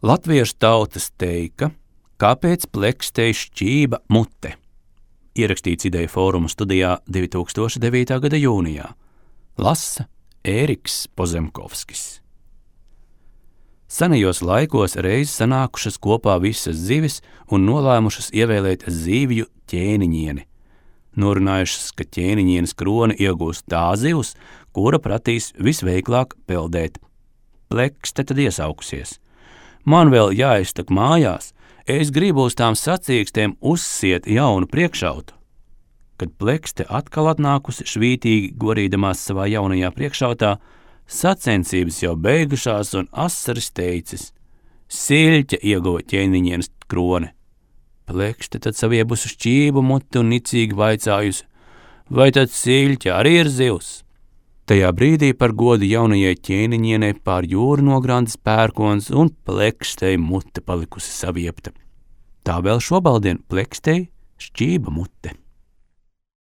Latviešu tautas teika, kāpēc plekstei šķība mute. Ierakstīts Ideju fóruma studijā 2009. gada jūnijā. Lasa Ēriks Pozemkovskis. Senajos laikos reiz sanākušas kopā visas zivis un nolēmušas ievēlēt zivju ķēniņieni. Norunājušas, ka ķēniņienes kroni iegūs tā zivs, kura pratīs visveiklāk peldēt. Plekste tad iesaukusies. Man vēl jāiztak mājās, es gribu uz tām sacīkstēm uzsiet jaunu priekšautu. Kad plekste atkal atnākusi švītīgi gorīdamās savā jaunajā priekšautā, sacensības jau beigušās un asaris teicis: Siļķe ieguva ķēniņienes kroni. Plekste tad saviebusi šķību muti un nicīgi vaicājusi: vai tad siļķe arī ir zivs? Tajā brīdī par godu jaunajai ķēniņienei pār jūru nograndis pērkons un plekstei mute palikusi saviepta. Tā vēl šobaldien plekstei šķība mute.